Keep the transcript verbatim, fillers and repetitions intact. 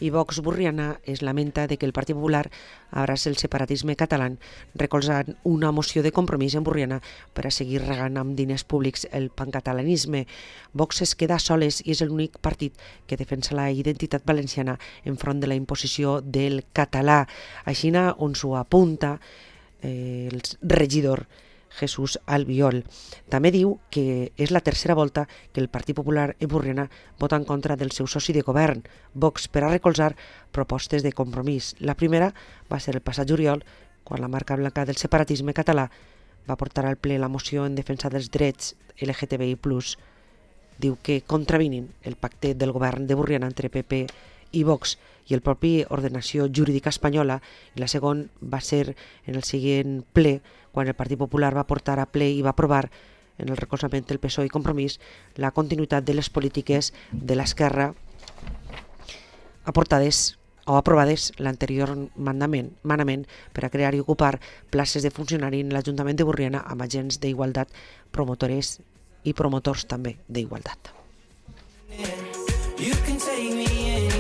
I Vox Borriana es lamenta de que el Partit Popular abraci el separatisme català, recolzant una moció de compromís en Borriana per a seguir regant amb diners públics el pancatalanisme. Vox es queda soles i és l'únic partit que defensa la identitat valenciana enfront de la imposició del català. Així on s'ho apunta eh, el regidor Jesús Albiol. També diu que és la tercera volta que el Partit Popular en Borriana vota en contra del seu soci de govern, Vox, per a recolzar propostes de compromís. La primera va ser el passat juliol, quan la marca blanca del separatisme català va portar al ple la moció en defensa dels drets L G T B I plus. Diu que contravinin el pacte del govern de Borriana entre P P i Vox i el propi ordenació jurídica espanyola, i la segona va ser en el següent ple, quan el Partit Popular va portar a ple i va aprovar en el recolzament del P S O E i Compromís la continuïtat de les polítiques de l'esquerra aportades o aprovades l'anterior manament, manament per a crear i ocupar places de funcionari en l'Ajuntament de Borriana amb agents d'igualtat, promotores i promotors també d'igualtat. You can take me